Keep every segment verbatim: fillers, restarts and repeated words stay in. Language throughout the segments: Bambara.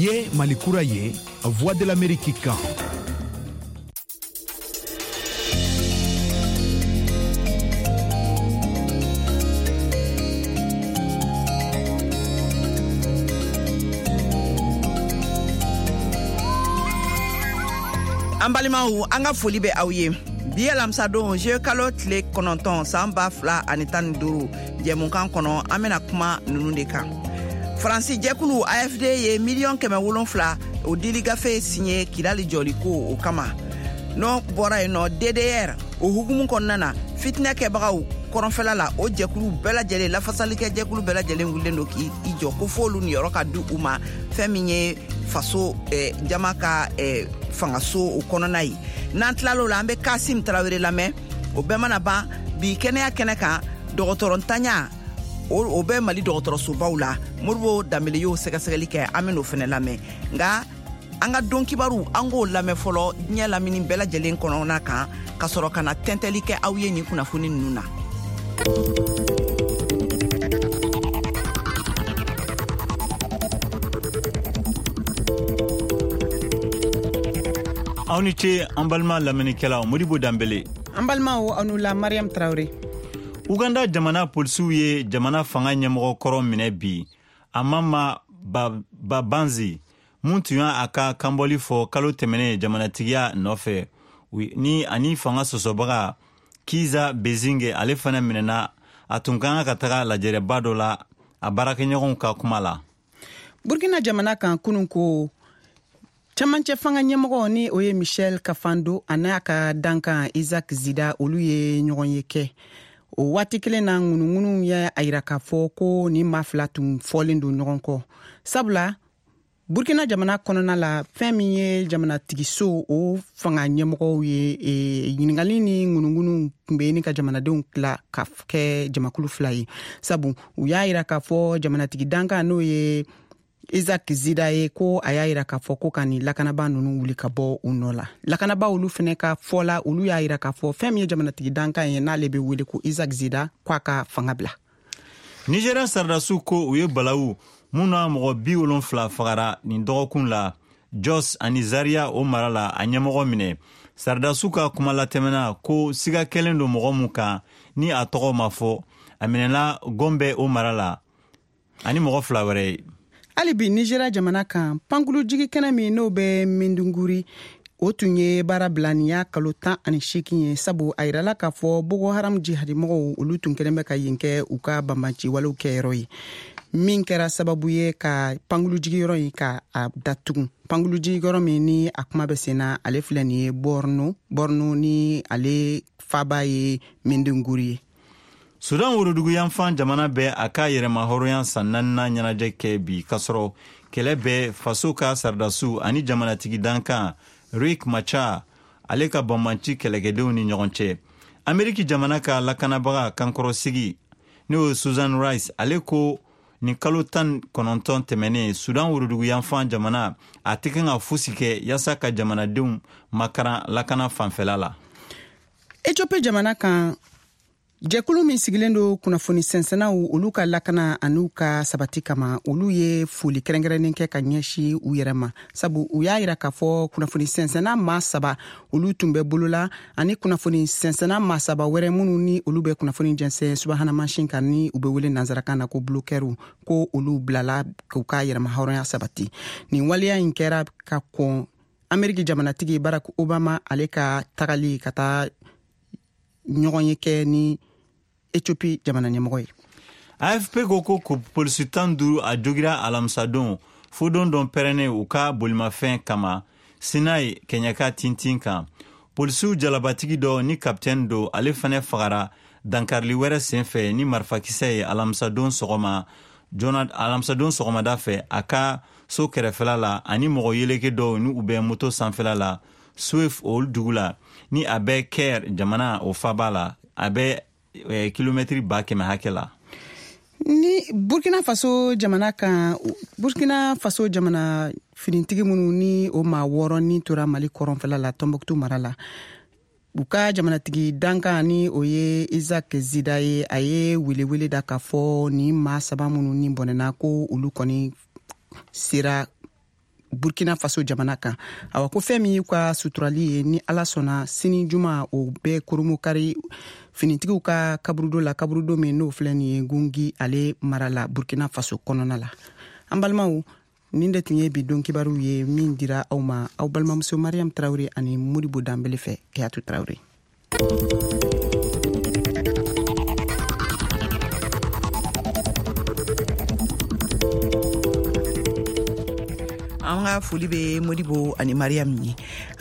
Ye Mali kura ye, Voix de l'Amérique kan. An balimaw, an ka foli bɛ aw ye. Bi alamisadon, juillet kalo tile kɔnɔntɔn, san ba fila ani tan ni duuru, jɛmukan kɔnɔ, an bɛna kuma ninnu de kan. Faransi jɛkulu A F D ye miliyɔn kɛmɛ wolonfila o dili gafe signé Kidali jɔliko o kama. N'o bɔra yen nɔ, D D R o hukumu kɔnɔna na, fitinɛ kɛbagaw kɔrɔnfɛla la, o jɛkulu bɛɛ lajɛlen, lafasalikɛ jɛkulu bɛɛ lajɛlen wulilen don k'i jɔ ko f'olu niyɔrɔ ka di u ma, fɛn min ye faso eh, jama ka eh, fangaso o kɔnɔna ye. N'an tilal'o la, an bɛ Kasim Tarawele lamɛn. O bɛɛ mana ban, bi kɛnɛya kɛnɛ kan, dɔgɔtɔrɔ ntanya o bɛ Mali dɔgɔtɔrɔsobaw la, Modibo Danbele y'o sɛgɛsɛgɛli kɛ, an bɛn'o fɛnɛ lamɛn. Nka an ka don kibaru, an k'o lamɛn fɔlɔ diɲɛ lamini bɛɛ lajɛlen kɔnɔna kan, ka sɔrɔ ka na tɛntɛli kɛ aw ye nin kunnafoni ninnu na. Aw ni ce, an balima lamɛnnikɛlaw. Modibo Danbele. An balimaw, aw ni la. Mariam Traoré. Uganda jamana polisiw ye jamana fanga ɲɛmɔgɔ kɔrɔ minɛ bi, Amama Mbabazi, mun tun y'a ka kanbɔli fɔ kalo tɛmɛnen jamanatigiya nɔfɛ, ni ani fanga sɔsɔbaga Kiza Besigye. Ale fana minɛna. A tun ka kan ka taga lajɛrɛba dɔ la, a baarakɛɲɔgɔnw ka kuma la. Burkina jamana kan, kunun ko camancɛ fanga ɲɛmɔgɔ, ni o ye Michel Kafando, a n'a ka dankan Isaac Zida, olu ye ɲɔgɔn ye kɛ. O waati kelen na, ŋunuŋunu ye a yira k'a fɔ ko nin maa fila tun fɔlen don ɲɔgɔn kɔ, sabula Burkina jamana kɔnɔna la, fɛn min ye jamanatigiso o fanga ɲɛmɔgɔw ye, e, ɲiningali ni ŋunuŋunu tun bɛ ni ka jamanadenw tila ka kɛ jamakulu fila ye, sabu u y'a yira k'a fɔ jamanatigi dankan, n'o ye Isaac Zida ye, ko a y'a yira k'a fɔ ko ka nin lakanaba nunu wuli ka bɔ u nɔ la. Lakanaba olu fɛnɛ ka fɔ la, olu y'a yira k'a fɔ fɛn min ye jamanatigi dankan ye, n'ale bɛ wele ko Isaac Zida, ko a ka fanga bila. Nigéria saradasiw ko u ye balawu mun na mɔgɔ bi wolonfila fagara nin dɔgɔkun la Jos ani Zaria o mara la, a ɲɛmɔgɔ minɛ. Saradasiw ka kuma latɛmɛna ko siga kɛlen don mɔgɔ mun kan, ni a tɔgɔ ma fɔ, a minɛna Gombe o mara la ani mɔgɔ fila wɛrɛ ye. Hali bi Nigéria jamana kan, pankurujigi kɛnɛ min n'o bɛ Maiduguri, o tun ye baara bila nin y'a kalo tan ani seegin ye, sabu a yirala k'a fɔ Boko Haram jihadimɔgɔw, olu tun kɛlen bɛ ka yen kɛ u ka banbanci walew kɛyɔrɔ ye, min kɛra sababu ye ka pankurujigiyɔrɔ in ka a datugu. Pankurujigiyɔrɔ min ni a kuma bɛ sen na, ale filɛ nin ye Borno, Borno ni ale faba ye Maiduguri ye. Sudan woroduguyanfan jamana bɛ a ka yɛrɛma hɔrɔnya san naaninan ɲɛnajɛ kɛ bi, kasɔrɔ kɛlɛ bɛ faso ka saradasiw ani jamanatigi dankan Riek Machar ale ka banbanci kɛlɛkɛdenw ni ɲɔgɔn cɛ. Ameriki jamana ka lakanabaga kankɔrɔsigi, n'o ye Susan Rice, ale ko nin kalo tan kɔnɔntɔn tɛmɛnen, Sudan woroduguyanfan jamana a tɛ kan ka fosi kɛ yaasa ka jamanadenw makaran lakana fanfɛla la. Ethiopie jamana kan, jɛkulu min sigilen do kunnafoni sɛnsɛnnaw olu ka lakana an'u ka sabati kama, olu ye foli kɛrɛnkɛrɛnnen kɛ ka ɲɛsi u yɛrɛ ma, sabu u y'a yira k'a fɔ kunnafoni sɛnsɛnna maa saba, olu tun bɛ bolola, ani kunnafoni sɛnsɛnna maa saba wɛrɛ minnu ni olu bɛ kunnafoni jɛnsɛn subahana mansin kan, ni u bɛ wele nansarakan na ko blogueurw, ko olu bilala k'u ka yɛrɛma hɔrɔnya sabati. Nin waleya in kɛra ka kɔn Ameriki jamanatigi Barack Obama ale ka tagali ka taa ɲɔgɔn ye kɛ ni Ethiopie jamana ɲɛmɔgɔ ye. A F P ko ko polisi tan duuru a jogira alamisadon fodon dɔ pɛrɛnnen u ka bolimafɛn kama Sinai kɛɲɛka tintin kan. Polisiw jalabatigi dɔ, ni kapitɛni don, ale fɛnɛ fagara dankarili wɛrɛ senfɛ ni marifakisɛ ye alamisadon sɔgɔma joona, alamisadon sɔgɔmada fɛ, a ka so kɛrɛfɛla la, ani mɔgɔ yeleke dɔw ni u bɛ moto sanfɛla la Swift olu dugu la, ni a bɛ Caire jamana o faba la, a bɛ eh, kilomɛtiri ba kɛmɛ hakɛ la. Ni Burkina Faso jamana kan, Burkina Faso jamana finitigi minnu ni o maa wɔɔrɔ ni tora Mali kɔrɔnfɛla la, Tɔnbɔkutu mara la, u ka jamanatigi dankan, ni o ye Isaac Zida ye, a ye welewele da k'a fɔ nin maa saba minnu ni bɔnɛna, ko olu kɔni sera Burkina Faso jamana kan. Awa ko fɛn min y'u ka suturali ye, ni Ala sɔnna, sini juma o bɛɛ koromokari finitigiw ka kaburudo la, kaburudo min n'o filɛ nin ye Gungi ale mara la, Burkina Faso kɔnɔna la. An balimaw, nin de tun ye bi don kibaruw ye min dira aw ma aw balimamuso Mariam Tarawele ani Modibo Danbele fɛ. Keyatu Tarawele. An ka foli bɛ Modibo ani Mariam ye.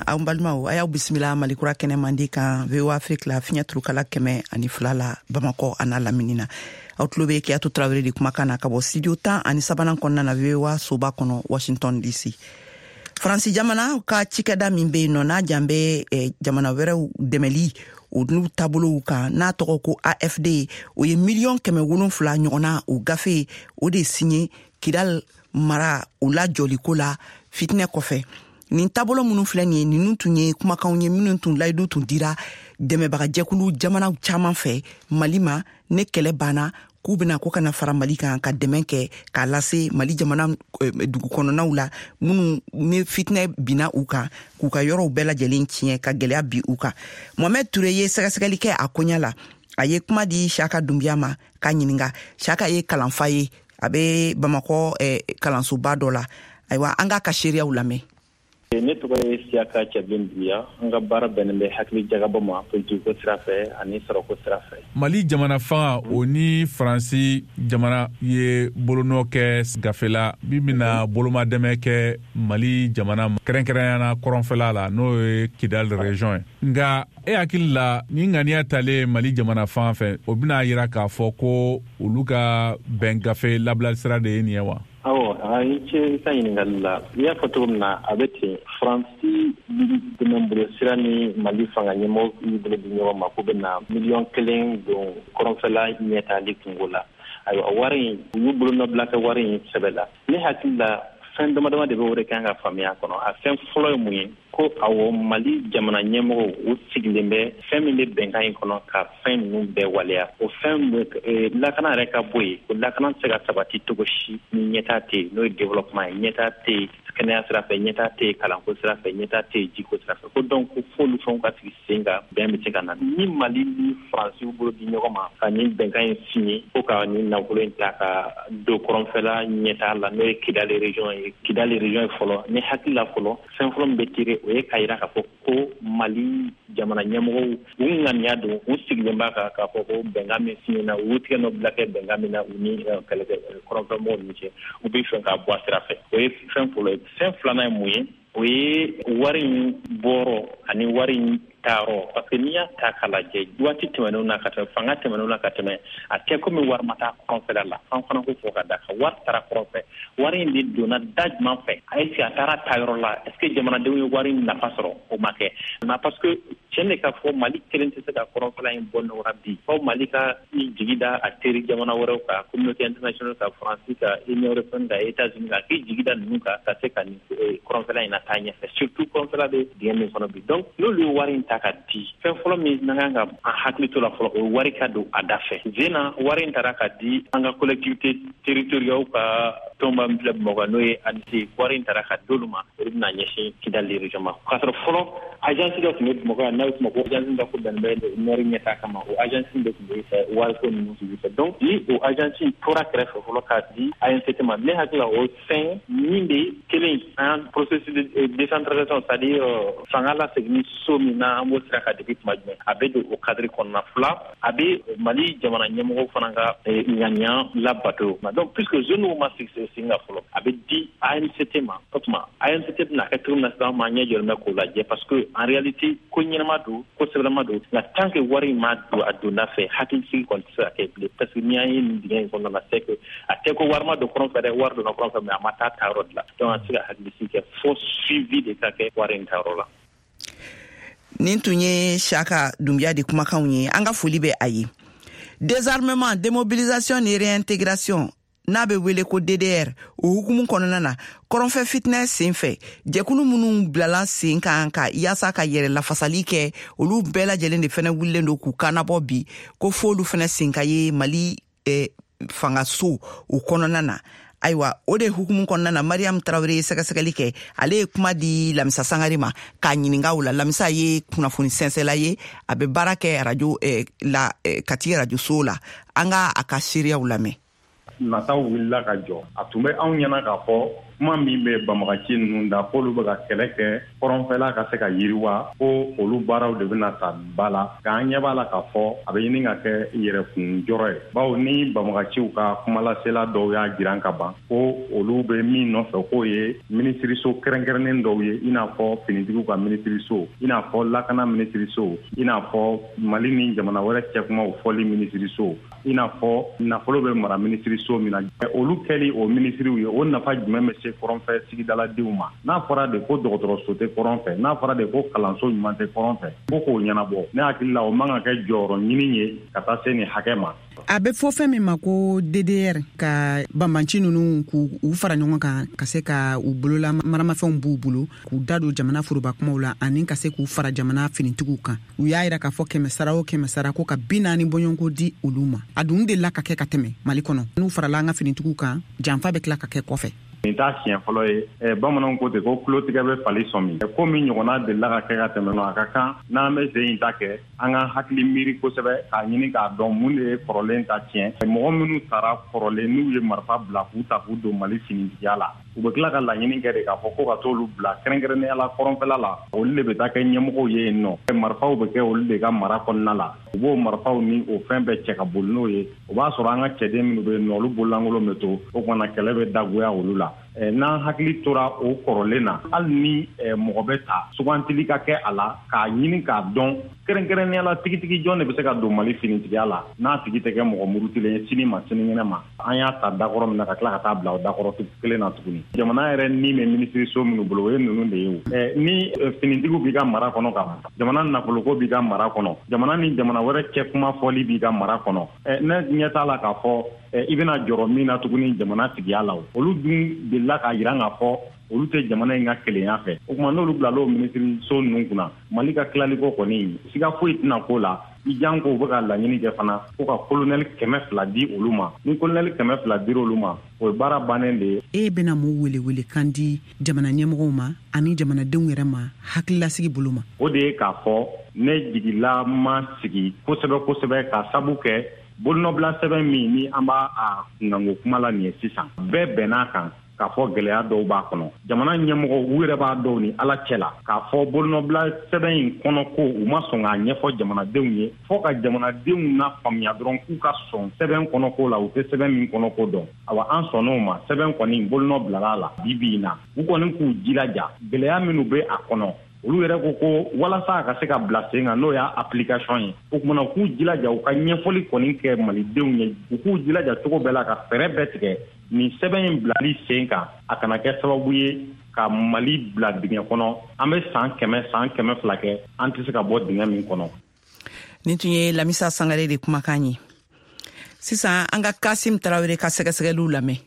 An balimaw, a y'aw bisimila Malikura kɛnɛ mandi kan V O A Afrique la, fiɲɛ turukala kɛmɛ ani fila la, Bamakɔ a n'a lamini na. Aw tulo bɛ Keyatu Tarawele de kumakan na ka bɔ studio tan ani sabanan kɔnɔna na, V O A soba kɔnɔ, Washington D C. Faransi jamana ka cikɛda min bɛ yen nɔ, n'a jan bɛ eh, jamana wɛrɛw dɛmɛli o n'u taabolow kan, n'a tɔgɔ ko A F D, o ye miliyɔn kɛmɛ wolonfila ɲɔgɔnna o gafe o de signé Kidal mara o lajɔliko la fitinɛ kɔfɛ. Nin taabolo minnu filɛ nin ye, ninnu tun ye kumakanw ye minnu tun layidu tun dira dɛmɛbagajɛkulu jamanaw caman fɛ Mali ma, ne kɛlɛ banna, k'u bena ko kana fara Mali kan ka dɛmɛ kɛ k'a lase Mali jamana eh, dugu kɔnɔnaw la minnu ni fitinɛ binna u kan k'u ka yɔrɔw bɛɛ lajɛlen tiɲɛ ka gwɛlɛya bi u kan. Mohamɛd Ture ye sɛgɛsɛgɛli kɛ a koɲa la. A ye kuma di Siyaka Dunbiya ma k'a ɲininga. Siyaka ye kalanfa ye, a bɛ Bamakɔ eh, kalansoba dɔ la. Ayiwa, an k'a ka seereyaw lamɛn. Ne tɔgɔ ye Siyaka Cɛbilen Duguya. An ka baara bɛnnen bɛ hakili jagabɔ ma politikiko sira fɛ ani sɔrɔko sira fɛ. Mali jamana fanga o ni Faransi jamana ye bolonɔ kɛ gafe la min bɛna boloma dɛmɛ kɛ Mali jamana ma, kɛrɛnkɛrɛnyana kɔrɔnfɛla la, n'o ye Kidal région ye. Nka e hakili la, ni ŋaniya talen Mali jamana fan fɛ, o bɛna yira k'a fɔ ko olu ka bɛn gafe labila sira de ye nin ye wa? Awɔ, a i ce i ka ɲininkali la. I y'a fɔ cogo min na, a bɛ ten. Faransi dɛmɛ bolo sira ni Mali fanga ɲɛmɔgɔ y'u bolo di ɲɔgɔn ma k'u bɛna miliyɔn kelen don kɔrɔnfɛla ɲɛtaali kungo la. Ayiwa, wari in, u y'u bolonɔbila kɛ wari in sɛbɛ la. Ne hakili la, fɛn dama dama de bɛ o de kan ka faamuya kɔnɔ. A fɛn fɔlɔ ye mun ye? Ko awɔ, Mali jamana ɲɛmɔgɔw u sigilen bɛ fɛn min bɛ bɛnkan in kɔnɔ ka fɛn ninnu bɛɛ waleya. O fɛn, lakana yɛrɛ ka bɔ yen, o lakana tɛ se ka sabati cogo si ni ɲɛtaa tɛ yen, n'o ye développement ye. Ɲɛtaa tɛ yen kɛnɛya sira fɛ, ɲɛtaa tɛ yen kalanko sira fɛ, ɲɛtaa tɛ yen jiko sira fɛ. Ko donc ko f'olu fɛnw ka sigi sen kan, bɛn bɛ se ka na. Ni Mali ni Faransiw bolo di ɲɔgɔn ma ka nin bɛnkan in signé ko ka nin nafolo in ta ka don kɔrɔnfɛla ɲɛtaa la, n'o ye Kidali région ye, Kidali région ye fɔlɔ, ni hakili la fɔlɔ, fɛn fɔlɔ min bɛ tirer, o ye k'a yira k'a fɔ ko Mali jamana ɲɛmɔgɔw u ŋaniya don, u sigilen b'a kan k'a fɔ ko bɛnkan min signé na, u y'u tigɛ nɔ bila kɛ bɛnkan min na u ni kɛlɛkɛ kɔrɔnfɛmɔgɔw ni cɛ, u bɛ fɛ k'a bɔ a sira fɛ. O ye fɛn fɔlɔ ye. Fɛn filanan ye mun ye? O ye wari in bɔrɔ ani wari in taayɔrɔ, parce que n'i y'a ta k'a lajɛ, waati tɛmɛnenw na ka tɛmɛ, fanga tɛmɛnenw na ka tɛmɛ, a tɛ komi wari ma taa kɔrɔnfɛla la. An fana ko fɔ ka da kan, wari taara kɔrɔn fɛ. Wari in de donna da jumɛn fɛ? Est ce que a taara taayɔrɔ la? Est ce que jamanadenw ye wari in nafa sɔrɔ? O ma kɛ na, parce que tiɲɛ de ka fɔ, Mali kelen tɛ se ka kɔrɔnfɛla in bɔ nɔgɔra bi, fɔ Mali ka i jigi da a teri jamana wɛrɛw kan, communauté internationale ka, Faransi ka, Union européenne ka, États-Unis ka, k'i jigi da ninnu kan ka se ka nin kɔrɔnfɛla in na taa ɲɛfɛ, surtout kɔrɔnfɛla bɛ dingɛ min kɔnɔ bi. Donc n'olu ye wari in ta ka di, fɛn fɔlɔ min n'an kan ka an hakili to la fɔlɔ, o ye wari ka don a da fɛ. Zena wari in taara ka di an ka collectivité territoriale ka tɔnba min filɛ Bamakɔ, n'o ye A N C, wari in taara ka d'olu ma, o de bɛna ɲɛsin Kidali région ma. K'a sɔrɔ fɔlɔ agence dɔ tun bɛ Bamakɔ yan, n'a bɛ f'o ma ko agence dɔ ko bɛn bɛ nord ɲɛtaa kama, o agence de tun bɛ wariko ninnu suivi fɛ. Donc ni o agence in tora kɛrɛfɛ fɔlɔ k'a di A N C T ma, ne hakili la, o fɛn min bɛ kelen an processus de décentralisation, c'est à dire fanga lasegin so min na an b'o sira kan depuis tuma jumɛn, a bɛ don o cadre kɔnɔna. Fila, a bɛ Mali jamana ɲɛmɔgɔw fana ka ŋaniya labato. Donc puisque zone ma sigi sen kan fɔlɔ, a bɛ di A N C T ma. O tuma A N C T bɛna kɛ cogo min na sisan, an m'an ɲɛ jɔlen bɛ k'o lajɛ, parce que en réalité ko ɲɛnama don, ko sɛbɛlama don. Nka tant que wari in ma don a donda fɛ, hakilisigi kɔni tɛ se ka kɛ bilen, parce que n'i y'an ye nin dingɛ in kɔnɔna na, c'est que a tɛ ko wari ma don kɔrɔn fɛ dɛ, wari donna kɔrɔn fɛ, mais a ma taa taayɔrɔ de la. Donc an tɛ se ka hakilisigi kɛ fo suivi de ka kɛ wari in taayɔrɔ la. Nin tun ye Siyaka Dunbiya de kumakanw ye. An ka foli bɛ a ye. Désarmement, démobilisation ni réintégration, n'a bɛ wele ko D D R, o hukumu kɔnɔna na, kɔrɔnfɛ fitinɛ sen fɛ, jɛkulu minnu bilala sen kan ka yaasa ka yɛrɛ lafasali kɛ, olu bɛɛ lajɛlen de fɛnɛ wulilen don k'u kannabɔ bi ko f'olu fɛnɛ sen ka ye Mali eh, fangaso o kɔnɔna na. Ayiwa, o de hukumu kɔnɔna na, Mariam Tarawele ye sɛgɛsɛgɛli kɛ. Ale ye kuma di Lamisa Sangare ma k'a ɲininka o la. Lamisa ye kunnafoni sɛnsɛla ye, a bɛ baara kɛ arajo eh, la, eh, Kati arajoso la. An ka a ka seereyaw lamɛn. Nataw wulila ka jɔ. A tun bɛ anw ɲɛna k'a fɔ kuma min bɛ banbagaci ninnu da, k'olu bɛ ka kɛlɛ kɛ kɔrɔnfɛla ka se ka yiriwa, ko olu baaraw de bɛna ta ba la. K'an ɲɛ b'a la k'a fɔ a bɛ ɲini ka kɛ yɛrɛkun jɔrɔ ye, bawo ni banbagaciw ka kumalasela dɔw y'a jiran ka ban ko olu bɛ min nɔfɛ, k'o ye minisiriso kɛrɛnkɛrɛnnen dɔw ye, i n'a fɔ finitigiw ka minisiriso, i n'a fɔ lakana minisiriso, i n'a fɔ Mali ni jamana wɛrɛ cɛkumaw fɔli minisiriso, i n'a fɔ nafolo bɛ mara minisiriso min na. Olu kɛli o minisiriw ye, o nafa jumɛn bɛ se kɔrɔnfɛ sigidaladenw ma? N'a fɔra de ko dɔgɔtɔrɔso tɛ kɔrɔn fɛ, n'a fɔra de ko kalanso ɲuman tɛ kɔrɔn fɛ, ko k'o ɲɛnabɔ, ne hakili la o man ka kɛ jɔyɔrɔ ɲini ye ka taa se nin hakɛ ma. A bɛ fɔ fɛn min ma ko D D R, ka banbanci ninnu k'u fara ɲɔgɔn kan, ka se ka u bolola maramafɛnw b'u bolo, k'u da don jamana foroba kumaw la, ani ka se k'u fara jamana finitigiw kan. U y'a yira k'a fɔ kɛmɛ sara o kɛmɛ sara, ko ka bi naani bɔɲɔgɔnko di olu ma. A dun delila ka kɛ ka tɛmɛ Mali kɔnɔ, n'u farala an ka finitigiw kan, janfa bɛ tila ka kɛ kɔfɛ. Nin t'a siɲɛ fɔlɔ ye. Bamananw ko ten ko tulotigɛ bɛ fali sɔmi. Ko min ɲɔgɔnna delila ka kɛ ka tɛmɛ, a ka kan n'an bɛ sen in ta kɛ, an ka hakili miiri kosɛbɛ k'a ɲini k'a dɔn mun de ye kɔrɔlen ta tiɲɛ. Mɔgɔ minnu taara kɔrɔlen, n'u ye marifa bila k'u ta k'u don Mali finitigiya la, u bɛ tila ka laɲini kɛ de k'a fɔ ko ka t'olu bila kɛrɛnkɛrɛnnenya la kɔrɔnfɛla la. Olu de bɛ taa kɛ ɲɛmɔgɔw ye yen nɔ, marifaw bɛ kɛ olu de ka mara kɔnɔna la. U b'o marifaw ni o fɛn bɛɛ cɛ ka boli n'o ye. O b'a sɔrɔ an ka cɛden minnu bɛ yen nɔ, olu bololankolon bɛ to. O kumana kɛlɛ bɛ dagoya olu la. N'an hakili tora o kɔrɔlen na, hali ni mɔgɔ bɛ ta, sugantili ka kɛ a la k'a ɲini k'a dɔn kɛrɛnkɛrɛnnenya la tigitigi jɔn de bɛ se ka don Mali finitigiya la, n'a tigi tɛ kɛ mɔgɔ murutilen ye sini ma sinikɛnɛ ma. An y'a ta dakɔrɔ min na, ka tila ka taa bila o dakɔrɔ kelen na tuguni. Jamana yɛrɛ ni bɛ minisiriso minnu bolo, o ye ninnu de ye. O ni finitigiw b'i ka mara kɔnɔ, ka jamana nafoloko b'i ka mara kɔnɔ, jamana ni jamana wɛrɛ cɛ kuma fɔli b'i ka mara kɔnɔ, ne ɲɛ t'a la k'a fɔ i bɛna jɔrɔ min na tuguni jamana tigiya la. Olu dun delila k'a jira k'a fɔ olu tɛ jamana in ka kelenya fɛ. O tuma n'olu bilala o minisiriso ninnu kunna, Mali ka tilaliko kɔni, siga foyi tɛna k'o la. I jan ko u bɛ ka laɲini kɛ fana ko ka kolonɛli kɛmɛ fila di olu ma. Ni kolonɛli kɛmɛ fila dir'olu olu ma, o ye baara bannen de ye. E bɛna mun welewele kan di jamana ɲɛmɔgɔw ma ani jamanadenw yɛrɛ ma hakililasigi bolo ma? O de ye k'a fɔ ne jigila ma sigi kosɛbɛ kosɛbɛ, k'a sabu kɛ bolonɔbila sɛbɛn min ni an b'a a kunkanko kuma la nin ye sisan, bɛɛ bɛnn'a kan k'a fɔ gɛlɛya dɔw b'a kɔnɔ. Jamana ɲɛmɔgɔw u yɛrɛ b'a dɔw ni Ala cɛ la k'a fɔ bolonɔbila sɛbɛn in kɔnɔ ko u ma sɔn k'a ɲɛfɔ jamanadenw ye, fɔ ka jamanadenw na faamuya dɔrɔn k'u ka sɔn sɛbɛn kɔnɔ ko la, u tɛ sɛbɛn min kɔnɔ ko dɔn. Awa, an sɔnn'o ma. Sɛbɛn kɔni bolonɔ bilala la bi bi in na. U kɔni k'u jilaja gɛlɛya minnu bɛ a kɔnɔ, olu yɛrɛ ko ko walasa a ka se ka bila sen kan, n'o y'a application ye, o kumana u k'u jilaja u ka ɲɛfɔli kɔni kɛ malidenw ye. U k'u jilaja cogo bɛɛ la ka fɛɛrɛ bɛɛ tigɛ nin sɛbɛn in bilali sen kan, a kana kɛ sababu ye ka Mali bila dingɛ kɔnɔ. An bɛ san kɛmɛ, san kɛmɛ fila kɛ, an tɛ se ka bɔ dingɛ min kɔnɔ. Nin tun ye Lamisa Sangare de kumakan ye. Sisan an ka Kasim Tarawele ka sɛgɛsɛgɛliw lamɛn.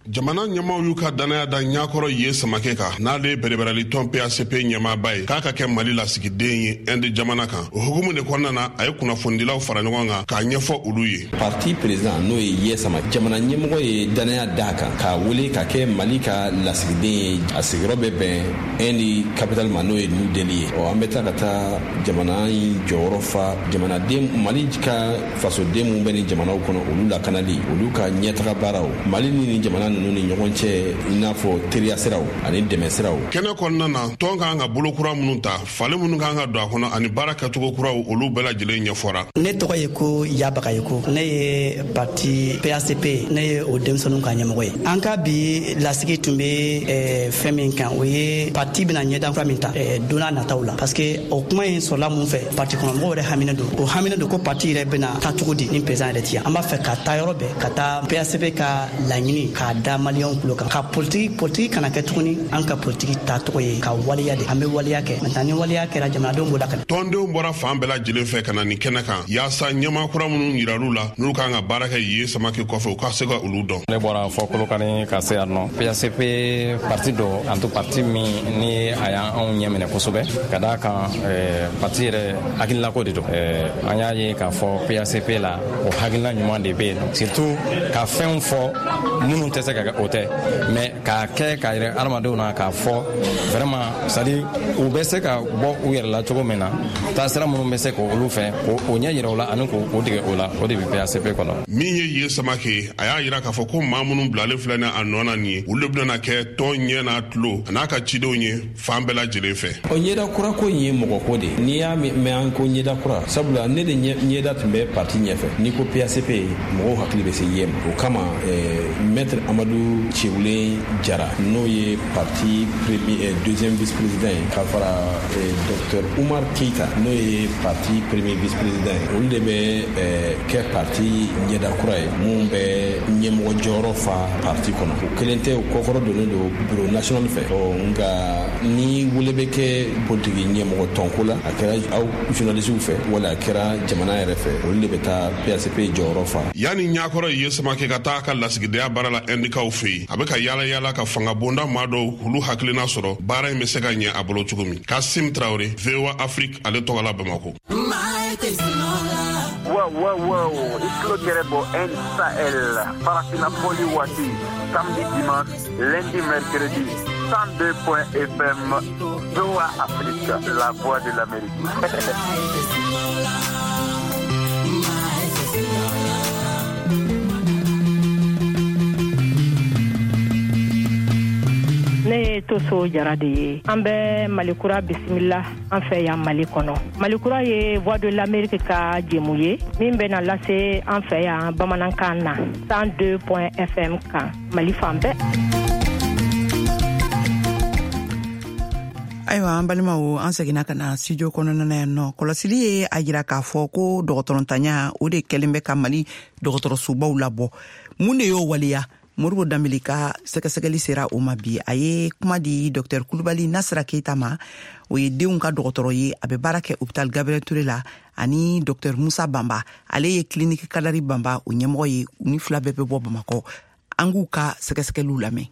Jamana ɲɛmaw y'u ka dannaya da Ɲakɔrɔ ye Samakɛ kan, n'ale ye bɛrɛbɛrɛli tɔn P A C P ɲɛmaaba ye, k'a ka kɛ Mali lasigiden ye Inde jamana kan. O hukumu de kɔnɔna na, a ye kunnafonidilaw fara ɲɔgɔn kan k'a ɲɛfɔ olu ye. Parti président, n'o ye Ye Sama, jamana ɲɛmɔgɔ ye dannaya d'a kan k'a wele ka kɛ Mali ka lasigiden ye. A sigiyɔrɔ bɛ bɛn Inde capitale ma, n'o ye New Delhi ye. Ɔ, an bɛ taa ka taa jamana in jɔyɔrɔ fa jamanaden, Mali ka fasoden mun bɛ nin jamanaw kɔnɔ, olu lakanali, olu ka ɲɛtaga baaraw, Mali ni nin jamana ninnu ni ɲɔgɔn cɛ, i n'a fɔ teriya siraw ani dɛmɛ siraw. Kɛnɛ kɔnɔna na, tɔn kan ka bolo kura minnu ta, falen minnu kan ka don a kɔnɔ, ani baara kɛcogo kuraw, olu bɛɛ lajɛlen ɲɛfɔra. Ne tɔgɔ ye ko Yabagaye ko ne ye parti P A C P, ne ye o denmisɛnninw ka ɲɛmɔgɔ ye. An ka bi lasigi tun bɛ eh, fɛn min kan, o ye parti bɛna ɲɛdan kura min ta eh, don n'a nataw la, parce que o kuma in sɔrɔla mun fɛ? Parti kɔnɔmɔgɔw yɛrɛ haminen don, o haminen don ko parti yɛrɛ bɛna taa cogo di ni président yɛrɛ ti yan. An b'a fɛ ka taa yɔrɔ bɛɛ, ka taa P A C P ka laɲini k'a da maliyɛnw kulo kan, ka politiki politiki kana kɛ tuguni. An ka politiki ta tɔgɔ ye ka waleya de, an bɛ waleya kɛ. Maintenant, ni waleya kɛra, jamanadenw b'o lakana. Tɔndenw bɔra fan bɛɛ lajɛlen fɛ ka na nin kɛnɛ kan yaasa ɲɛmaa kura minnu yirar'u la, n'olu kan ka baara kɛ Ye Samake kɔfɛ, u ka se ka olu dɔn. Ne bɔra fɔ Kolokani ka se yan nɔ. P A C P parti dɔ, an to parti min ni a y'anw ɲɛ minɛ kosɛbɛ, ka d'a kan parti yɛrɛ hakilinako de don. An y'a ye k'a fɔ P A C P la, o hakilina ɲuman de bɛ yen, surtout ka fɛnw fɔ minnu tɛ se se ka kɛ o tɛ, mais k'a kɛ k'a yɛrɛ adamadenw na k'a fɔ vraiment, c'est à dire u bɛ se ka bɔ u yɛrɛ la cogo min na, taasira minnu bɛ se k'olu fɛ k'o ɲɛ yira u la ani k'o dege o la, o de bɛ P A C P kɔnɔ. Min ye Ye Samake, a y'a yira k'a fɔ ko maa minnu bilalen filɛ ni a nɔ na nin ye, olu de bɛna kɛ tɔn ɲɛ n'a tulo a n'a ka cidenw ye fan bɛɛ lajɛlen fɛ. O ɲɛda kura ko in ye mɔgɔ ko de ye. N'i y'a mɛn an ko ɲɛda kura, sabula ne de ɲɛda tun bɛ parti ɲɛfɛ. N'i ko P A C P, mɔgɔw hakili bɛ se ye ma. O kama maître Amadu Cewulen Jara, n'o ye parti premier deuxième vice président ye, ka fara docteur Umar Keita, n'o ye parti premier vice président ye, olu de bɛ kɛ parti ɲɛda kura ye mun bɛ ɲɛmɔgɔ jɔyɔrɔ fa parti kɔnɔ. O kelen tɛ, o kɔkɔrɔ donnen don bureau national fɛ. Ɔ nka ni wele bɛ kɛ politiki ɲɛmɔgɔ tɔnko la, a kɛra aw journalisiw fɛ wala a kɛra jamana yɛrɛ fɛ, olu de bɛ taa P A C P jɔyɔrɔ fa. Yanni ɲakɔrɔ Ye Samake ka taa a ka lasigidenya baara la Indikaw fɛ yen, a bɛ ka yaala yaala ka fanga bonda maa dɔw k'olu hakilina sɔrɔ baara in bɛ se ka ɲɛ a bolo cogo min. Kasim Traoré, V O A Afrique, ale tɔgɔ la Bamako. Wow, wow, wow. I tulo gɛrɛ bɔ N Sahel, Farafina Poli waati, samedi, dimanche, lundi, mercredi, cent deux point F M, V O A Afrique, la voix de l'Amérique. Ne ye Toso Jara de ye. An bɛ Malikura bisimila an fɛ yan Mali kɔnɔ. Malikura ye Voix de l'Amérique ka jɛmu ye min bɛna lase an fɛ yan bamanankan na cent deux point F M kan Mali fan bɛɛ. Ayiwa, an balimaw, an seginna ka na studio kɔnɔna na yan nɔ. Kɔlɔsili ye a jira k'a fɔ ko dɔgɔtɔrɔntanya o de kɛlen bɛ ka Mali dɔgɔtɔrɔsobaw labɔ. Mun de y'o waleya? Moribo Danbele ka sɛgɛsɛgɛli sera o ma bi. A ye kuma di Docteur Kulubali Nasira Keita ma, o ye denw ka dɔgɔtɔrɔ ye, a bɛ baara kɛ hôpital Gabriel Touré la, ani Docteur Musa Banba, ale ye clinique Kadari Banba o ɲɛmɔgɔ ye. U ni fila bɛɛ bɛ bɔ Bamakɔ. An k'u ka sɛgɛsɛgɛliw lamɛn.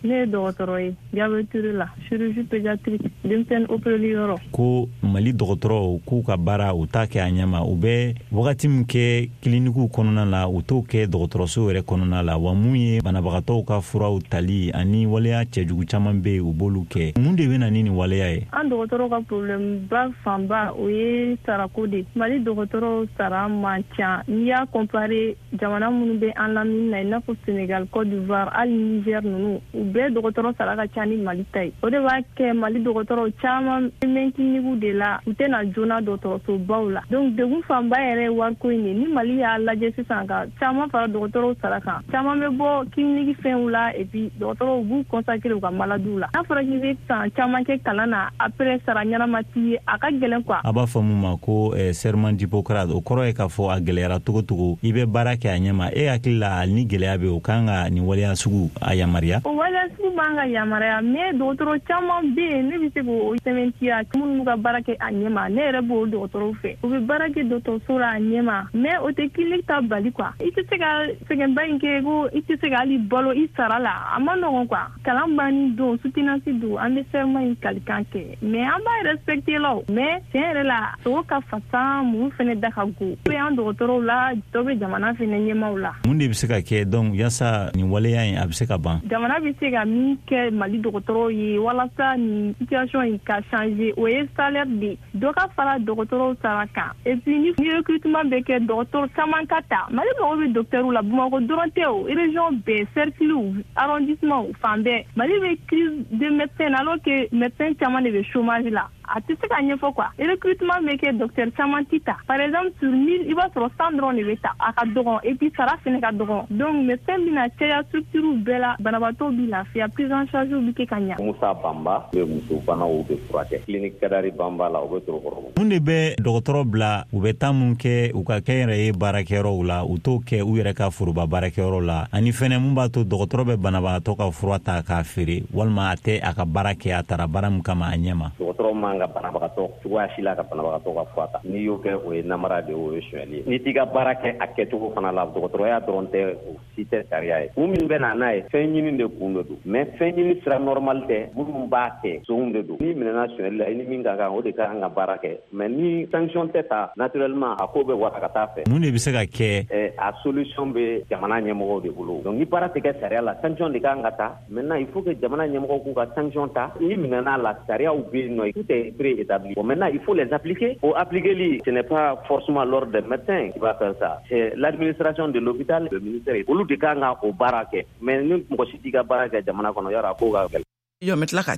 Ne ye dɔgɔtɔrɔ ye Gabriel Touré la, chirurgie pédiatrique, denmisɛnnin opéreli yɔrɔ. Ko Mali dɔgɔtɔrɔw k'u ka baara u t'a kɛ a ɲɛ ma, u bɛ wagati min kɛ kilinikiw kɔnɔna la, u t'o kɛ dɔgɔtɔrɔso yɛrɛ kɔnɔna la. Wa mun ye banabagatɔw ka furaw tali ani waleya cɛjugu caman bɛ yen, u b'olu kɛ. Mun de bɛ na ni nin waleya ye? An dɔgɔtɔrɔw ka problème ba fanba o ye sarako de. Mali dɔgɔtɔrɔw sara man ca. N'i y'a comparer jamana minnu bɛ an lamini na, i n'a fɔ Sénégal, Côte d'Ivoire, hali Niger ninnu, u bɛɛ dɔgɔtɔrɔ sara ka ca ni Mali ta ye. O de b'a kɛ Mali dɔgɔtɔrɔw caman bɛ clinique de la, u tɛna joona dɔgɔtɔrɔsobaw la. Donc degun fanba yɛrɛ ye wariko in de. Ni Mali y'a lajɛ sisan ka caman fara dɔgɔtɔrɔw sara kan, caman bɛ bɔ clinique fɛnw la, et puis dɔgɔtɔrɔw b'u consacrer u ka maladiw la. N'a fɔra k'i bɛ san caman kɛ kalan na, après sara ɲɛnama t'i ye, a ka gɛlɛn quoi. A b'a fɔ mun ma ko eh, serment d'Hippocrate, o kɔrɔ ye k'a fɔ a gɛlɛyara cogo cogo, i bɛ baara kɛ a ɲɛ ma. E hakili la ni gɛlɛya bɛ, o kan ka nin waleya sugu a yamaruya? O waleya sugu b'an ka yamaruya, mais dɔgɔtɔrɔ caman bɛ yen, ne bɛ se k'o sɛbɛntiya, minnu b'u ka baara kɛ a ɲɛ ma. Ne yɛrɛ b'o dɔgɔtɔrɔw fɛ, u bɛ baara kɛ dɔgɔtɔrɔso la a ɲɛ ma, mais o tɛ clinique ta bali quoi. I tɛ se ka sɛgɛnba in kɛ ko i tɛ se ka hali balo i sara la, a ma nɔgɔn quoi. Kalan banni don, soutenance don, an bɛ serment in kalikan kɛ, mais an b'a respecter la o. Mais tiɲɛ yɛrɛ la, sogo ka fasa, muru fɛnɛ da ka go. Dɔ bɛ an dɔgɔtɔrɔw la, dɔ bɛ jamana fɛnɛ ɲɛmaaw la. Mun de bɛ se ka kɛ donc yasa nin waleya in a bɛ se ka ban? Jamana bɛ se ka min kɛ Mali dɔgɔtɔrɔw ye walasa nin situation in ka changer, o ye salaire de dɔ ka fara dɔgɔtɔrɔw sara kan. Et puis ni recrutement bɛ kɛ, dɔgɔtɔrɔ caman ka ta. Mali mago bɛ docteurw la, Bamakɔ dɔrɔn tɛ o, région bɛɛ, cercle, arrondissement, fan bɛɛ. Mali bɛ crise de médecins alors que médecins caman de bɛ chômage la. A tɛ se ka ɲɛfɔ quoi. Recrutement bɛ kɛ, docteur caman tɛ ta. Par exemple sur mille, i b'a sɔrɔ cent dɔrɔn de bɛ ta, a ka dɔgɔn, et puis sara fɛnɛ ka dɔgɔn. Donc médecin bɛna caya structure bɛɛ la, banabaatɔw bɛ lafiya, prise en charge bɛ kɛ ka ɲa. Musa Banba bɛ muso banaw bɛ furakɛ clinique Kadari Banba la, o bɛ Torokɔrɔbugu. Mun de bɛ dɔgɔtɔrɔ bila u bɛ taa mun kɛ u ka kɛnyɛrɛye baarakɛyɔrɔw la, u t'o kɛ u yɛrɛ ka foroba baarakɛyɔrɔ la, ani fɛnɛ mun b'a to dɔgɔtɔrɔ bɛ banabagatɔ ka fura ta k'a feere, walima a tɛ a ka baara kɛ a taara baara min kama a ɲɛ ma? Dɔgɔtɔrɔ man ka banabagatɔ cogoya si la ka banabagatɔ ka fura ta. N'i y'o kɛ, o ye namara de ye, o ye sonyali ye. N'i t'i ka baara kɛ a kɛcogo fana la, dɔgɔtɔrɔya dɔrɔn tɛ, o si tɛ sariya ye. Kun min bɛ na n'a ye, fɛn ɲini de kun de don, mais fɛn ɲini sira normal tɛ. Minnu b'a kɛ, sonw de don. N'i minɛna sonyali la, i ni min ka kan, o de ka kan ka baara kɛ. Mais ni sanction tɛ ta, naturellement a ko bɛ wara ka taa fɛ. Mun de bɛ se ka kɛ? A solution bɛ jamana ɲɛmɔgɔw de bolo. Donc ni baara tɛ kɛ sariya la, sanction de kan ka ta. Maintenant il faut que jamana ɲɛmɔgɔw k'u ka sanction ta. N'i minɛna la, sariyaw bɛ yen nɔ, tout est préétabli. Bon, maintenant il faut les appliquer. O appliquer, ce n'est pas forcément l'ordre des médecins qui va faire ça, c'est l'administration de l'hôpital, le ministère, olu de kan ka o baara kɛ. Mais ni mɔgɔ si t'i ka baara kɛ jamana kɔnɔ, yɔrɔ a ko ka gɛlɛn. Yo, n bɛ tila ka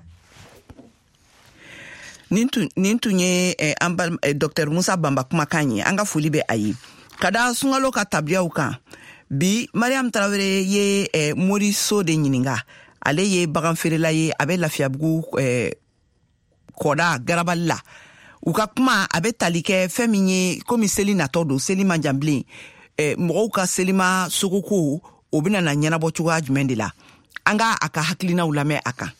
nin tun nin tun ye eh, an ba eh, docteur Musa Banba kumakan ye. An ka foli bɛ a ye. Ka da sunkalo ka tabiyaw kan bi, Mariam Tarawele ye eh, Moriso de ɲininka. Ale ye bagan feerela ye, a bɛ Lafiyabugu eh, kɔda garabali la. U ka kuma a bɛ tali kɛ fɛn min ye, komi seli natɔ don, seli man jan bilen, eh, mɔgɔw ka selima sogoko o bɛna na ɲɛnabɔ cogoya jumɛn de la. An ka a ka hakilinaw lamɛn a kan.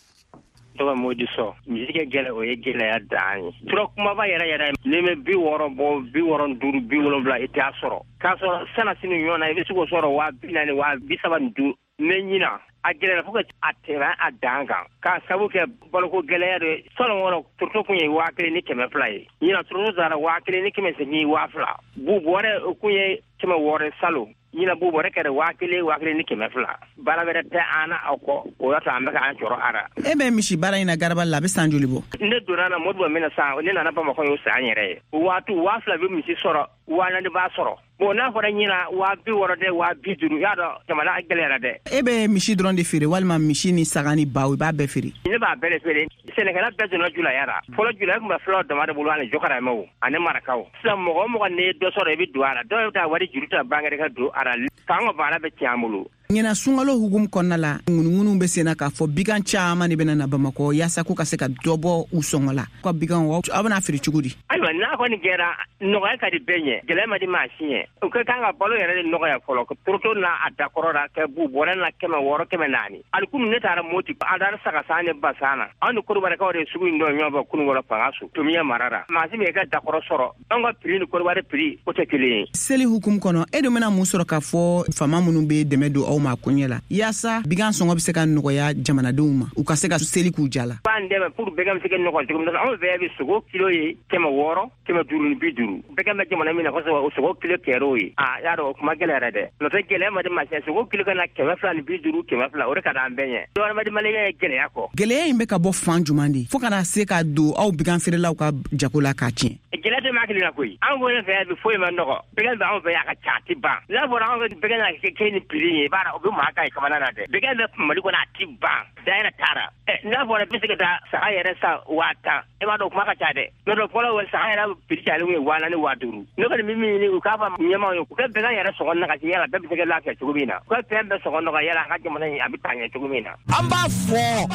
Tɔgɔ Modi sɔ misi kɛ gɛlɛ, o ye gɛlɛya dan ye. Tura kumaba yɛrɛ yɛrɛ, n'i bɛ bi wɔɔrɔ bɔ, bi wɔɔrɔ duuru, bi wolonwula, i t'a sɔrɔ. K'a sɔrɔ sana sini ɲɔgɔn na, i bɛ se k'o sɔrɔ waa bi naani, waa bi saba ni duuru. Mɛ ɲina a gɛlɛyara fo ka a tɛmɛ a dan kan, k'a sabu kɛ baloko gɛlɛya de. Salon kɔnɔ turuto kun ye waa kelen ni kɛmɛ fila ye, ɲina turuto taara waa kelen ni kɛmɛ seegin, waa fila. Bu bɔrɛ o kun ye kɛmɛ wɔɔrɔ salon, ɲina bu bɔrɛ kɛra waa kelen, waa kelen ni kɛmɛ fila. Baara wɛrɛ tɛ an na aw kɔ, o y'a to an bɛ k'an jɔrɔ a la. E bɛ misi baara in na garabali la, a bɛ san joli bɔ? Ne donna na Modibo min na san, ne nana Bamakɔ y'o san yɛrɛ ye. O waati waa fila bɛ misi sɔrɔ, waa naani b'a sɔrɔ. Bon, n'a fɔra ɲina waa bi wɔɔrɔ dɛ, waa bi duuru, y'a dɔn jamana gɛlɛyara dɛ. E bɛ misi dɔrɔn de feere walima misi ni saga ni baw, i b'a bɛɛ feere? Ne b'a bɛɛ de feere. Sɛnɛkɛla bɛɛ donna julaya la. Fɔlɔ julaya tun bɛ fulaw dama de bolo, ani jɔkaramɛw ani marakaw. Sisan mɔgɔ o mɔgɔ n'i ye dɔ sɔrɔ, i bɛ don a la. Dɔw bɛ taa wari juru ta banque ka don a la. K'an ka baara bɛ tiɲɛ an bolo. Ɲina sunkalo hukumu kɔnɔna la, ŋunuŋunu bɛ senna k'a fɔ bigan caman de bɛna na Bamakɔ yaasa k'u ka se ka dɔ bɔ u sɔngɔ la. Ka bigan aw bɛna feere cogo di? Ayiwa, n'a kɔni kɛra nɔgɔya ka di bɛɛ ɲɛ, gɛlɛya ma di maa si ɲɛ. U ka kan ka balo yɛrɛ de nɔgɔya fɔlɔ, turuto n'a a dakɔrɔ la, kɛ bu bɔrɛ na kɛmɛ wɔɔrɔ, kɛmɛ naani. Hali kunun ne taara Moti, an taara saga san ni ba san na. Anw ni Kodiwarikaw de ye sugu in dɔn ɲɔgɔn fɛ kunun kɔnɔ fanga so Tomiya mara la. Maa si min ka dakɔrɔ sɔrɔ, anw ka prix ni Kodiwari prix o tɛ kelen ye. Seli hukumu kɔnɔ, e dun bɛna mun sɔrɔ k'a fɔ faama minnu bɛ dɛmɛ don aw ma koɲɛ la yaasa bigan sɔngɔ bɛ se ka nɔgɔya jamanadenw ma, u ka se ka seli k'u ja la? B'an dɛmɛ pour bɛgan bɛ se ka nɔgɔya cogo min na. Anw bɛɛ bɛ sogo kilo ye kɛmɛ wɔɔrɔ, kɛmɛ duuru ni bi duuru. Bɛgan bɛ jamana min na kosɛbɛ, o sogo kilo kɛr'o ye. Aa, y'a dɔn o kuma gɛlɛyara dɛ. N'o tɛ gɛlɛya ma di maa si sogo kilo ka na kɛmɛ fila ni bi duuru, kɛmɛ fila, o de ka d'an bɛɛ ɲɛ. Dɔwɛrɛ ma di maliyɛn ye gɛlɛya kɔ. Gɛlɛya in bɛ ka bɔ fan jumɛn de fo ka na se ka don aw bigan feerelaw ka jago la k'a tiɲɛ? Gɛlɛya tɛ maa kelen na koyi. Anw bolo fɛ bi foyi ma nɔgɔ. Bɛgan bɛ anw fɛ yan, a ka ca, a ti ban. N'a fɔra anw fɛ bɛgan na kɛ ni prix ye, i b'a dɔn o bɛ maa kan ye kamana na dɛ. Bɛgan bɛ Mali kɔnɔ, a ti ban. Da yɛrɛ taara. N'a fɔra bɛ se ka taa saga yɛrɛ san waa tan, e b'a dɔn o kuma ka ca dɛ. N'o tɛ fɔlɔ saga yɛrɛ prix cayalen ye waa naani, waa duuru. Ne kɔni bɛ min ɲini, u k'a fɔ ɲɛmaaw ye, u ka bɛgan yɛrɛ sɔngɔ nagasi yala bɛɛ bɛ se ka lafiya cogo min na. U ka fɛn bɛɛ sɔngɔ nɔgɔya yala an ka jamana in a bɛ taa ɲɛ cogo min na. An b'a fɔ.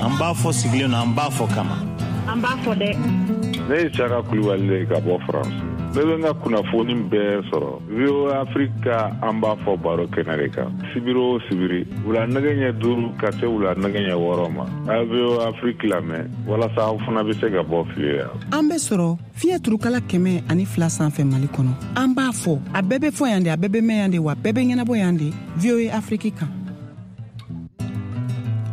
An b'a fɔ sigilen don, an b'a fɔ kama. An b'a fɔ dɛ. Ne ye Saka Kulibali de ka bɔ France. Ne bɛ n ka kunnafoni bɛɛ sɔrɔ V O A Afrique ka an b'a fɔ baro kɛnɛ de kan. Sibiri o sibiri, wula nɛgɛ ɲɛ duuru ka se wula nɛgɛ ɲɛ wɔɔrɔ ma. A ye V O A Afrique lamɛn walasa aw fana bɛ se ka bɔ fili la. An bɛ sɔrɔ fiɲɛ turukala kɛmɛ ani fila sanfɛ Mali kɔnɔ. An b'a fɔ, a bɛɛ bɛ fɔ yan de, a bɛɛ bɛ mɛn yan de, wa bɛɛ bɛ ɲɛnabɔ yan de. V O A Afrique kan.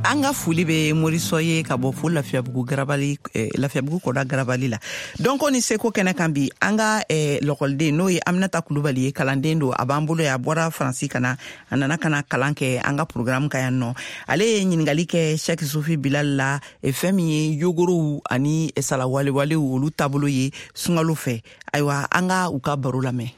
An ka foli bɛ Morisɔ ye ka bɔ fo Lafiyabugu garabali, eh, Lafiyabugu kɔda garabali la. Dɔnko ni seko kɛnɛ kan bi, an ka eh, lɔkɔliden n'o ye Aminata Kulubali ye, kalanden don, a b'an bolo yan, a bɔra Faransi ka na, a nana ka na kalan kɛ an ka programme kan yan nɔ. Ale ye ɲininkali kɛ Cheikh Sufi Bilal la, eh, fɛn min ye yogorow ani salawalewalew olu taabolo ye sunkalo fɛ. Ayiwa, an ka u ka baro lamɛn.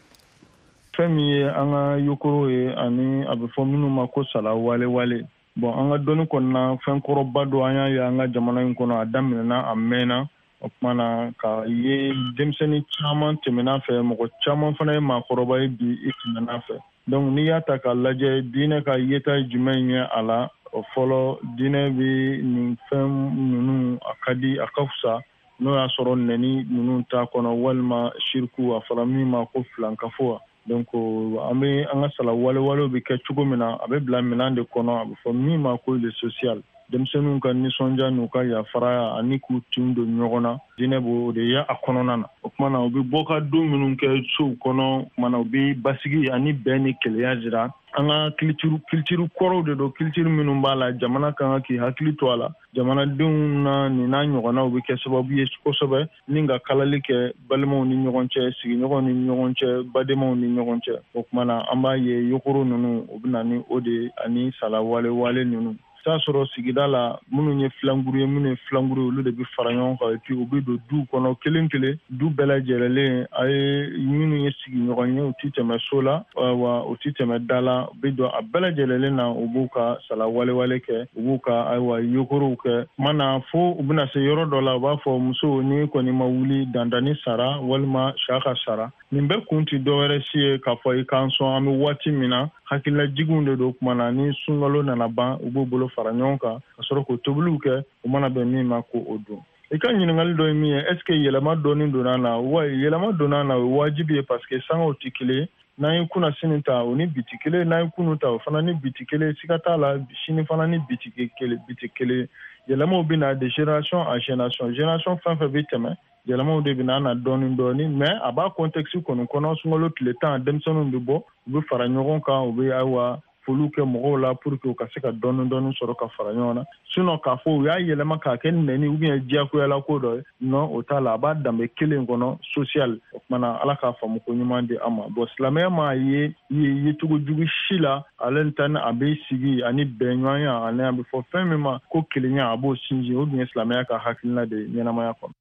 Fɛn min ye an ka yogoro ye ani a bɛ fɔ minnu ma ko salawalewale. Bon, an ka dɔnni kɔnɔna fɛn kɔrɔba dɔ an y'a ye an ka jamana in kɔnɔ, a daminɛna a mɛnna. O tuma na ka ye denmisɛnnin caman tɛmɛna fɛ, mɔgɔ caman fana ye maakɔrɔba ye bi i tɛmɛna fɛ. Donc n'i y'a ta k'a lajɛ, diinɛ ka yeta ye jumɛn ye a la? O fɔlɔ, diinɛ bɛ nin fɛn ninnu a ka di, a ka fisa n'o y'a sɔrɔ nɛni ninnu t'a kɔnɔ walima siriku, a fɔra min ma ko filankafo. Donc an bɛ an ka sala walewalew bɛ kɛ cogo min na, a bɛ bila minɛn de kɔnɔ, a bɛ fɔ min ma ko le social. Denmisɛnninw ka nisɔndiya n'u ka yafaraya ani k'u tin don ɲɔgɔn na, diinɛ b'o de ye a kɔnɔna na. O tuma na u bɛ bɔ ka don minnu kɛ sow kɔnɔ, o tuma na u bɛ basigi ani bɛn ni kelenya jira. An ka culture culture kɔrɔw de don, culture minnu b'a la, jamana kan ka k'i hakili to a la. Jamanadenw na nin n'a ɲɔgɔnnaw bɛ kɛ sababu ye kosɛbɛ ni ka kalali kɛ balimaw ni ɲɔgɔn cɛ, sigiɲɔgɔnw ni ɲɔgɔn cɛ, badenmaw ni ɲɔgɔn cɛ. O tuma na an b'a ye yokoro ninnu u bɛ na ni o de ye ani sala wale wale ninnu. T'a sɔrɔ sigida la minnu ye filankuru ye, minnu ye filankuru ye, olu de bɛ fara ɲɔgɔn kan et puis u bɛ don duw kɔnɔ kelen kelen, du bɛɛ lajɛlen a ye minnu ye sigiɲɔgɔn ye, u ti tɛmɛ so la wa u ti tɛmɛ da la, u bɛ don a bɛɛ lajɛlen na, u b'u ka sala walewale kɛ, u b'u ka ayiwa yokorow kɛ. Tuma na fo u bɛna se yɔrɔ dɔ la, u b'a fɔ muso n'i kɔni ma wuli dandani sara walima sa ka sara. Nin bɛɛ kun ti dɔwɛrɛ si ye k'a fɔ i k'an sɔn an bɛ waati min na, hakililajiginw de don. Tuma na ni sunkalo nana ban, u b'u bolo fara ɲɔgɔn kan ka sɔrɔ k'o tobiliw kɛ, u mana bɛn min ma k'o dun. I ka ɲininkali dɔ ye min ye, est ce que yɛlɛma dɔɔni donna na? Wa yɛlɛma donna na, o ye wajibi ye parce que sangaw tɛ kelen. N'an ye kunna sini ta, o ni bi tɛ kelen. N'an ye kunu ta, o fana ni bi tɛ kelen. Siga t'a la, sini fana ni bi tɛ kelen, bi tɛ kelen. Yɛlɛmaw bɛ na de génération en génération, génération fɛn fɛn bɛ tɛmɛ, yɛlɛmaw de bɛ na na dɔɔni dɔɔni, mais a b'a contexte kɔni kɔnɔ. Sunkalo tile tan, denmisɛnninw bɛ bɔ, u bɛ fara ɲɔgɔn kan, u bɛ ayiwa foliw kɛ mɔgɔw la pour que u ka se ka dɔɔni dɔɔni sɔrɔ ka fara ɲɔgɔn na. Sinon k'a fɔ u y'a yɛlɛma k'a kɛ nɛni ou bien diyagoyala ko dɔ ye, non, o t'a la. A b'a danbe kelen kɔnɔ social. O tuma na Ala k'a faamu ko ɲuman di an ma. Bon, silamɛya m'a ye yecogo jugu si la, ale ta ni a bɛ sigi ani bɛnɲɔgɔnya ani a bɛ fɔ fɛn min ma ko kelenya, a b'o sinsin. O dun ye silamɛya ka hakilina de ye ɲɛnamaya kɔnɔ.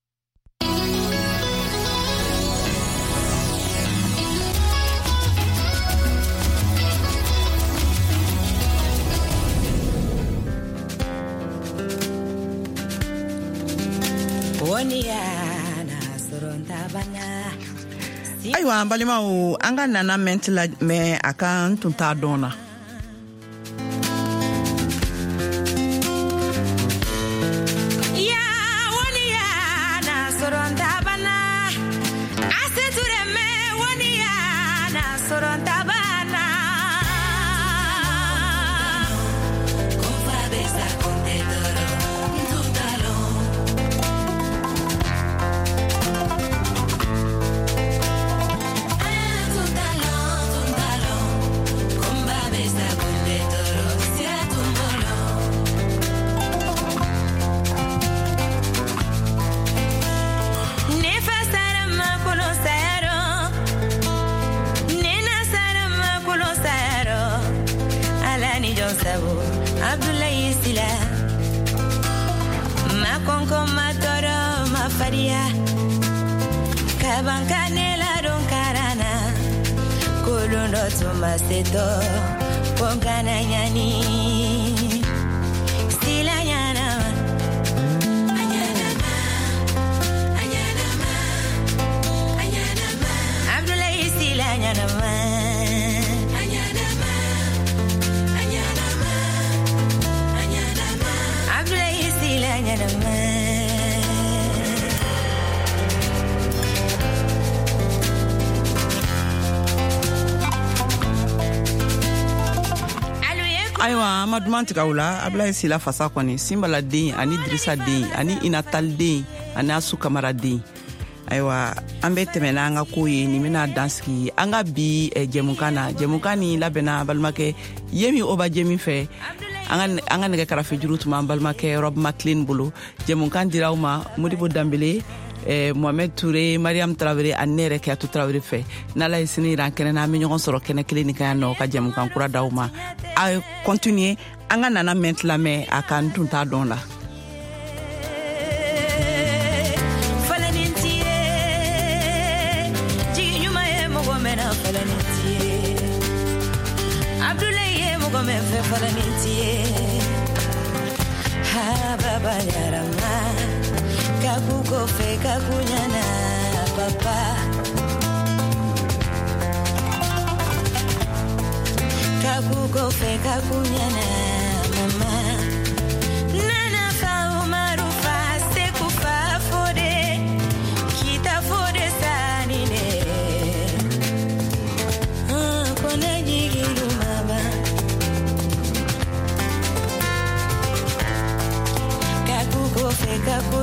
Ayiwa an balimaw, an ka nana mɛn tila mɛn a ka n tun t'a dɔn na. Ayiwa an ma duman tigɛ o la. Abulaye Sila fasa kɔni, Sinbala den ani Dirisa den ani Inatal den ani Asu Kamara den. Ayiwa an bɛ tɛmɛ n'an ka ko ye, nin bɛna dan sigi an ka bi jɛmukan na. Jɛmukan nin labɛnna balimakɛ Yemi Oba Jemi fɛ. An ka an ka nɛgɛ karafejuru tun b'an balimakɛ Rob McLean bolo. Jɛmukan dira aw ma Modibo Danbele, eh, Mohamed Touré, Mariam Traoré ani ne yɛrɛ Kiyatu Traoré fɛ. N'Ala ye sini yira an kɛnɛ na, an bɛ ɲɔgɔn sɔrɔ kɛnɛ kelen nin kan yan nɔ ka jɛmukan kura d'aw ma. A continuer an ka nana mɛn tilamɛ a ka n tun t'a dɔn la. Kakukofe kakunyana papa Kakukofe kakunyana mama Nana fa umaru fa sekufa fode Kita fode sanine Kona jigilu mama. ka ku